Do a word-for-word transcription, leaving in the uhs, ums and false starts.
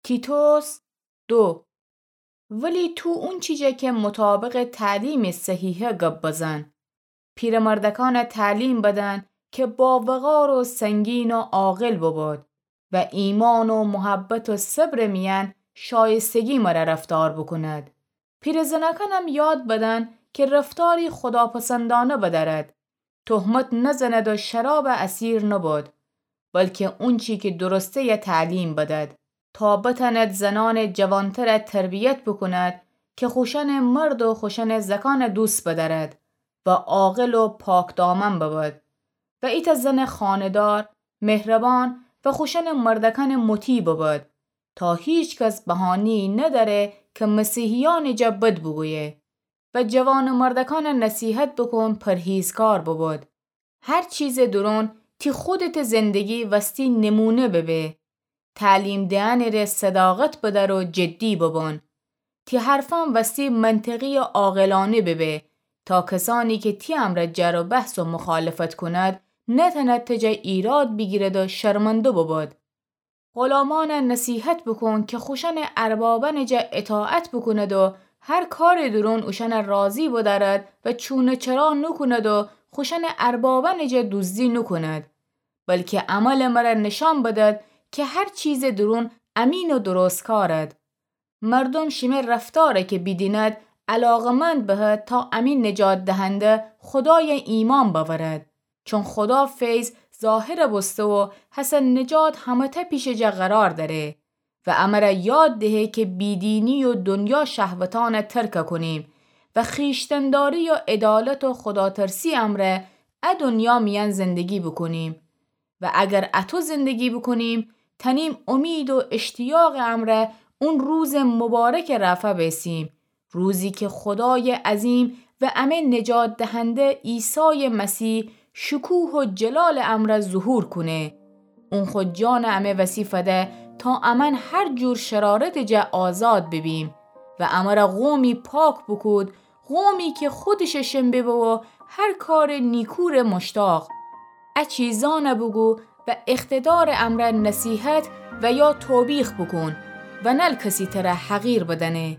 تیتوس دو. ولی تو اونچی جا که مطابق تعلیم صحیحه گب بزن. پیرمردکان تعلیم بدن که با وقار و سنگین و عاقل بباد و ایمان و محبت و صبر میان شایستگی مره رفتار بکند. پیرزنکانم یاد بدن که رفتاری خداپسندانه بدارد. تهمت نزند و شراب اسیر نباد، بلکه اونچی که درسته یا تعلیم بداد، تا بتاند زنان جوانتر تربیت بکند که خوشن مرد و خوشن زکان دوست بدارد و عاقل و پاکدامن بباد. و ایتا زن خانه‌دار، مهربان و خوشن مردکان مطیع بباد، تا هیچ کس بهانه‌ای نداره که مسیحیان جا بد بگویه. و جوان مردکان نصیحت بکن پرهیزکار بباد. هر چیز درون تی خودت زندگی وستی نمونه ببه. تعلیم دهنٚ ره صداقت بدار و جدی ببان. تی حرفان وستی منطقی و عاقلانه ببه، تا کسانی که تی امرأ جر و بحث و مخالفت کند، نتند تی جا ایراد بیگیرد و شرمنده بباد. غلامان نصیحت بکن که خوشن اربابان جا اطاعت بکند و هر کار درون اوشان راضی بدارد و چونه چرا نکند و خوشن اربابان جا دزدی نکند، بلکه عمل مره نشان بدد که هر چیز درون امین و درستکارد. مردم شیمه رفتاره که بیدیند علاقمند بهد تا امی نجات دهنده خدای ایمان باورد. چون خدا فیض ظاهر بوسته و هسه نجات همه‌ته پیش جا قرار داره و امره یاد دهه که بیدینی و دنیا شهوتان ترک کنیم و خویشتنداری و عدالت و خداترسی امره ا دنیا میان زندگی بکنیم. و اگر اتو زندگی بکنیم، تنیم امید و اشتیاق امره اون روز مبارک رفع بیسیم، روزی که خدای عظیم و امه نجات دهنده عیسی مسیح شکوه و جلال امره ظهور کنه. اون خو جان امه وسی فده تا امن هر جور شرارت جا آزاد ببیم و امره قومی پاک بکود، قومی که خودش شن ببه و هر کار نیکور مشتاق. ا چیزان بگو و اقتدار امره نصیحت و یا توبیخ بکن و نل کسی تره حقیر بدنه.